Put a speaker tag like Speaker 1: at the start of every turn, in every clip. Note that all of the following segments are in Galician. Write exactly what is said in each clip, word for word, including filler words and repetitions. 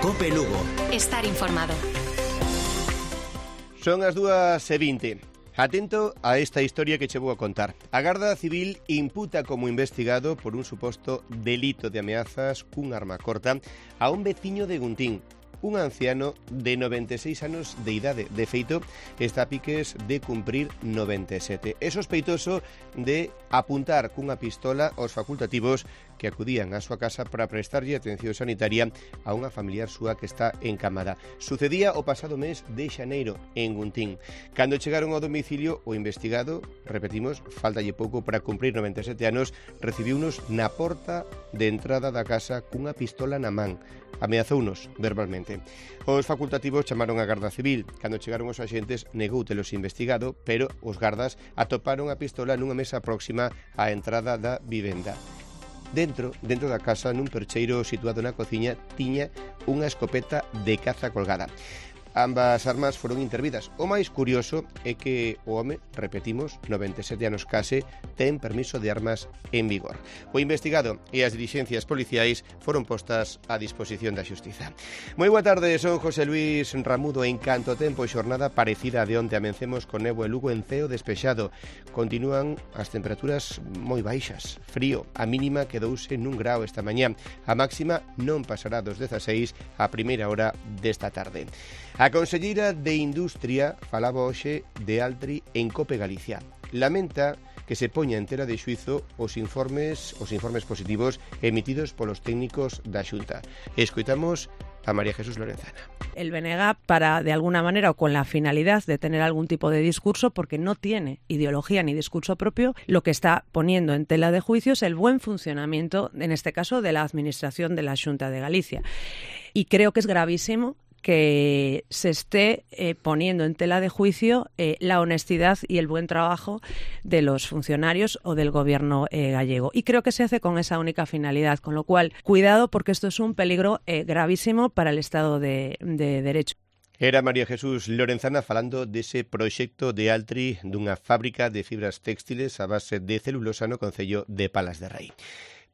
Speaker 1: Cope Lugo.
Speaker 2: Estar informado.
Speaker 3: Son as dúas e vinte. Atento a esta historia que che vou a contar. A Garda Civil imputa como investigado por un suposto delito de ameazas cun arma corta a un veciño de Guntín, un anciano de noventa e seis anos de idade. De feito, está a piques de cumprir noventa e sete. É sospeitoso de apuntar cunha pistola aos facultativos que acudían á súa casa para prestarlle atención sanitaria a unha familiar súa que está encamada. Sucedía o pasado mes de xaneiro en Guntín. Cando chegaron ao domicilio, o investigado, repetimos, faltalle pouco para cumprir noventa e sete anos, recibiunos na porta de entrada da casa cunha pistola na man. Ameazounos verbalmente. Os facultativos chamaron a Garda Civil. Cando chegaron os axentes, negoutelos investigado, pero os gardas atoparon a pistola nunha mesa próxima á entrada da vivenda. Dentro, dentro da casa, nun percheiro situado na cociña, tiña unha escopeta de caza colgada. Ambas armas foron intervidas. O máis curioso é que o home, repetimos, noventa e sete anos case, ten permiso de armas en vigor. O investigado e as dilixencias policiais foron postas a disposición da xustiza. Moi boa tarde, son José Luis Ramudo. En canto tempo e xornada parecida a de onte, amencemos con néboa e Lugo en ceo despexado. Continúan as temperaturas moi baixas. Frío, a mínima quedouse nun grao esta mañá. A máxima non pasará dos dezaseis a primeira hora desta tarde. A conselleira de Industria falaba hoxe de Altri en Cope Galicia. Lamenta que se poña en tela de xuizo os informes os informes positivos emitidos polos técnicos da Xunta. Escoitamos a María Jesús Lorenzana.
Speaker 4: El B N G para, de alguna manera, o con la finalidad de tener algún tipo de discurso, porque no tiene ideología ni discurso propio, lo que está poniendo en tela de juicio es el buen funcionamiento, en este caso, de la administración de la Xunta de Galicia. Y creo que es gravísimo que se esté eh, poniendo en tela de juicio eh, la honestidad y el buen trabajo de los funcionarios o del gobierno eh, gallego. Y creo que se hace con esa única finalidad, con lo cual, cuidado, porque esto es un peligro eh, gravísimo para el Estado de, de Derecho.
Speaker 3: Era María Jesús Lorenzana falando dese proxecto de Altri dunha fábrica de fibras textiles a base de celulosa no concello de Palas de Rei.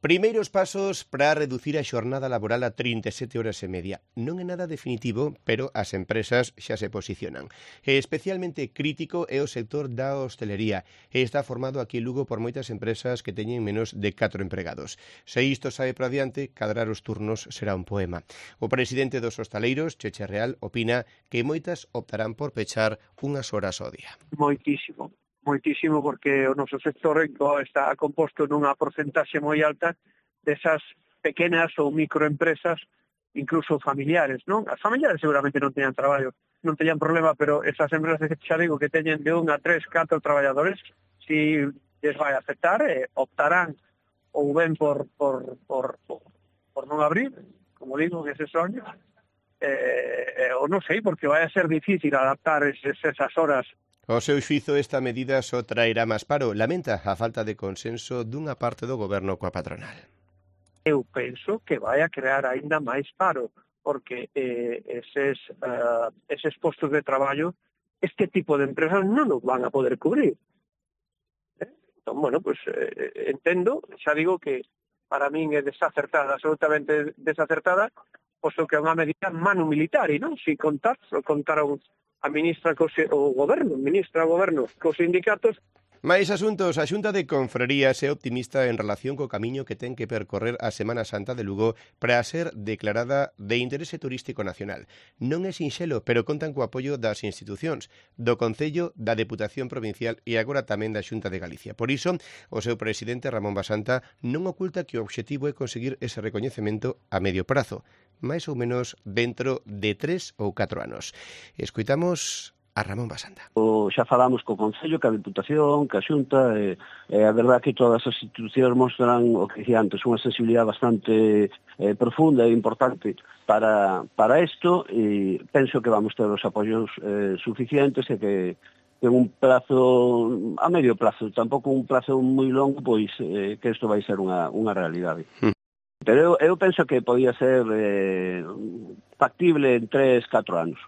Speaker 3: Primeiros pasos para reducir a xornada laboral a trinta e sete horas e media. Non é nada definitivo, pero as empresas xa se posicionan. E especialmente crítico é o sector da hostelería. E está formado aquí en Lugo por moitas empresas que teñen menos de catro empregados. Se isto sae para adiante, cadrar os turnos será un poema. O presidente dos hostaleiros, Cheche Real, opina que moitas optarán por pechar unhas horas ao día.
Speaker 5: Moitísimo. Moitísimo, porque o noso sector está composto nunha porcentaxe moi alta desas pequenas ou microempresas, incluso familiares, non? As familiares seguramente non teñan traballo, non teñan problema, pero esas empresas que xa digo que teñen de un a tres, catro traballadores, si les vai a afectar, eh, optarán ou ben por, por, por, por, por non abrir, como digo, que ese soño, eh, eh, ou non sei, porque vai a ser difícil adaptar esas, esas horas.
Speaker 3: O seu xuizo, esta medida só traerá máis paro. Lamenta a falta de consenso dunha parte do goberno coa patronal.
Speaker 5: Eu penso que vai a crear aínda máis paro, porque eh, eses, uh, eses postos de traballo, este tipo de empresas non os van a poder cubrir. Eh? Entón, bueno, pues eh, entendo, xa digo que para min é desacertada, absolutamente desacertada, posto que é unha medida manu militar, non? Si contar, contaron a ministra cos, o goberno, ministra o goberno cos sindicatos.
Speaker 3: Mais asuntos, a Xunta de Confrarías é optimista en relación co camiño que ten que percorrer a Semana Santa de Lugo para ser declarada de interese turístico nacional. Non é sinxelo, pero contan co apoio das institucións, do Concello, da Deputación Provincial e agora tamén da Xunta de Galicia. Por iso, o seu presidente Ramón Basanta non oculta que o obxectivo é conseguir ese recoñecemento a medio prazo, máis ou menos dentro de tres ou catro anos. Escoitamos a Ramón Basanta.
Speaker 6: O, xa falamos co Concello, que a Deputación, que a Xunta, e, e a verdad que todas as institucións mostran o que dicía antes, unha sensibilidade bastante eh, profunda e importante para, para isto, e penso que vamos ter os apoios eh, suficientes e que en un plazo, a medio plazo, tampouco un plazo moi longo, pois eh, que isto vai ser unha, unha realidade. Mm. Pero eu, eu penso que podía ser eh, factible en tres, catro anos.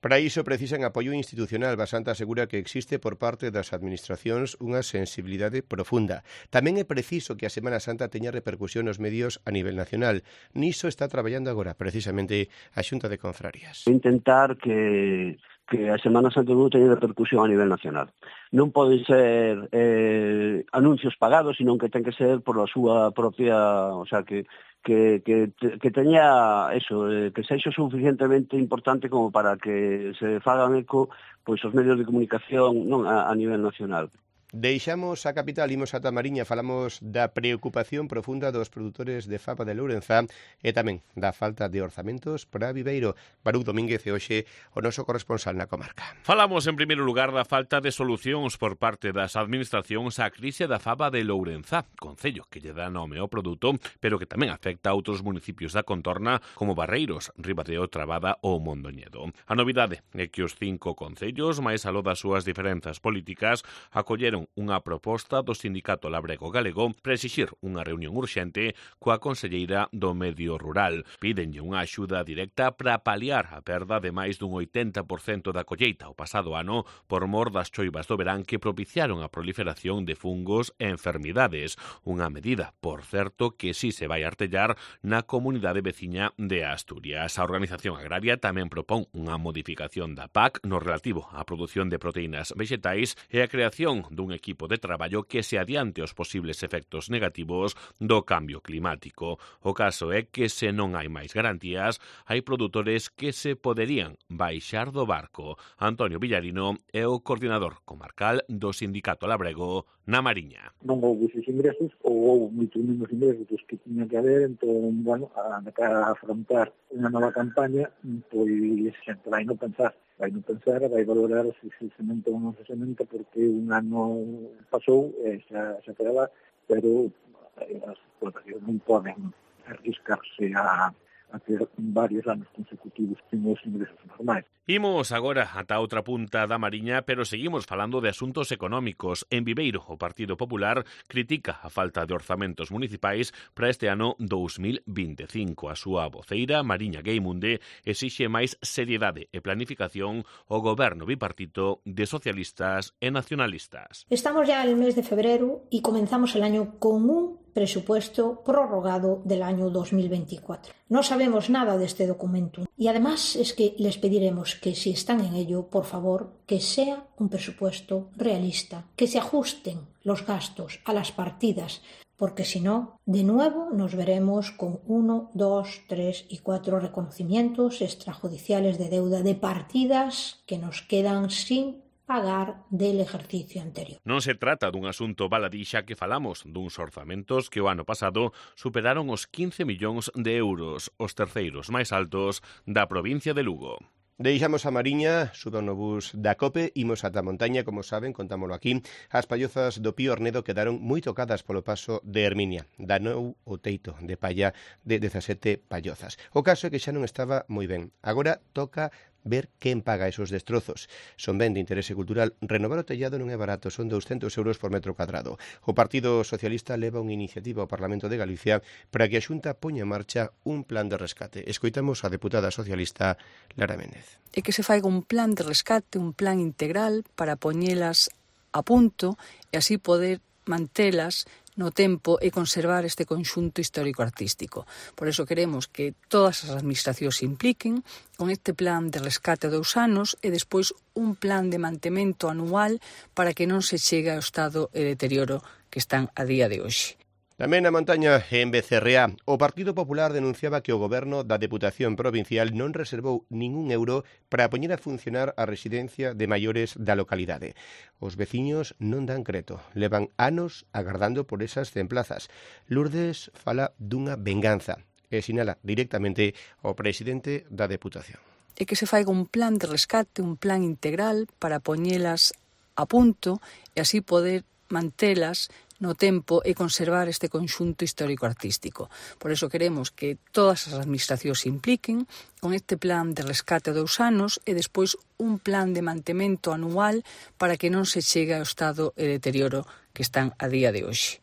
Speaker 3: Para iso precisan apoio institucional. Basanta asegura que existe por parte das administracións unha sensibilidade profunda. Tamén é preciso que a Semana Santa teña repercusión nos medios a nivel nacional. Niso está traballando agora precisamente a Xunta de Confrarías.
Speaker 6: Intentar que que a Semana Santa non teña repercusión a nivel nacional. Non poden ser eh, anuncios pagados, sino que ten que ser por a súa propia, o sea, que que que que teña eso, eh, que sexa suficientemente importante como para que se fagan eco pois os medios de comunicación non a, a nivel nacional.
Speaker 3: Deixamos a capital, imos ata Mariña, falamos da preocupación profunda dos produtores de faba de Lourenzá e tamén da falta de orzamentos para Viveiro. Baruch Domínguez é hoxe o noso corresponsal na comarca.
Speaker 1: Falamos en primeiro lugar da falta de solucións por parte das administracións á crise da faba de Lourenzá, concello que lle dá nome ao produto, pero que tamén afecta a outros municipios da contorna como Barreiros, Ribadeo, Trabada ou Mondoñedo. A novidade é que os cinco concellos, máis aló das súas diferenzas políticas, acolleron unha proposta do Sindicato Labrego Galego para exixir unha reunión urxente coa conselleira do Medio Rural. Pídenlle unha axuda directa para paliar a perda de máis dun oitenta por cento da colleita o pasado ano por mor das choivas do verán que propiciaron a proliferación de fungos e enfermidades. Unha medida, por certo, que si se vai artellar na comunidade veciña de Asturias. A Organización Agraria tamén propón unha modificación da P A C no relativo á produción de proteínas vegetais e a creación dun equipo de traballo que se adiante os posibles efectos negativos do cambio climático. O caso é que se non hai máis garantías, hai produtores que se poderían baixar do barco. Antonio Villarino é o coordinador comarcal do Sindicato Labrego na Mariña.
Speaker 2: Non houve esos ingresos, ou houve moitos menos ingresos dos que tiña que haber, entón, bueno, a, a afrontar unha nova campaña, pois xente vai non pensar. vai non pensar, vai valorar se se sementa ou non se sementa, porque un ano pasou e xa, xa quedaba, pero as explotacións non poden arriscarse a, a ter varios anos consecutivos sen os ingresos normais.
Speaker 1: Imos agora ata outra punta da Mariña, pero seguimos falando de asuntos económicos. En Viveiro, o Partido Popular critica a falta de orzamentos municipais para este ano dous mil vinte e cinco. A súa voceira, Mariña Gueimunde, exixe máis seriedade e planificación ao goberno bipartito de socialistas e nacionalistas.
Speaker 7: Estamos ya en el mes de febrero y comenzamos el año con un presupuesto prorrogado del año dos mil veinticuatro. No sabemos nada de este documento y además es que les pediremos que si están en ello, por favor, que sea un presupuesto realista, que se ajusten los gastos a las partidas, porque si no, de nuevo nos veremos con uno, dos, tres y cuatro reconocimientos extrajudiciales de deuda de partidas que nos quedan sin pagar del ejercicio anterior.
Speaker 1: Non se trata dun asunto baladí, xa que falamos duns orzamentos que o ano pasado superaron os quince millóns de euros, os terceiros máis altos da provincia de Lugo.
Speaker 3: Deixamos a Mariña, suban no bus da COPE, imos ata a montaña, como saben, contámolo aquí. As pallozas do Pío Ornedo quedaron moi tocadas polo paso de Herminia. Danou o teito de palla de dezasete pallozas. O caso é que xa non estaba moi ben. Agora toca ver quen paga esos destrozos. Son ben de interese cultural. Renovar o tellado non é barato, son douscentos euros por metro cuadrado. O Partido Socialista leva unha iniciativa ao Parlamento de Galicia para que a Xunta poña en marcha un plan de rescate. Escoitamos a deputada socialista Lara Méndez.
Speaker 8: E que se faiga un plan de rescate, un plan integral para poñelas a punto e así poder mantelas no tempo e conservar este conxunto histórico-artístico. Por eso queremos que todas as administracións se impliquen con este plan de rescate a dous anos e despois un plan de mantemento anual para que non se chegue ao estado de deterioro que están a día de hoxe.
Speaker 3: Tamén na montaña, en Becerreá, o Partido Popular denunciaba que o goberno da Deputación Provincial non reservou ningún euro para poñer a funcionar a residencia de maiores da localidade. Os veciños non dan creto, levan anos agardando por esas cen plazas. Lourdes fala dunha venganza e sinala directamente ao presidente da Deputación.
Speaker 8: E que se faiga un plan de rescate, un plan integral para poñelas a punto e así poder mantelas no tempo e conservar este conxunto histórico-artístico. Por eso queremos que todas as administracións se impliquen con este plan de rescate a dous anos e despois un plan de mantemento anual para que non se chegue ao estado de deterioro que están a día de hoxe.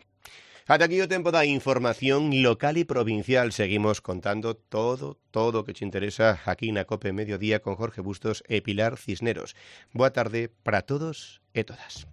Speaker 3: Ata aquí o tempo da información local e provincial. Seguimos contando todo, todo o que te interesa aquí na COPE Mediodía con Jorge Bustos e Pilar Cisneros. Boa tarde para todos e todas.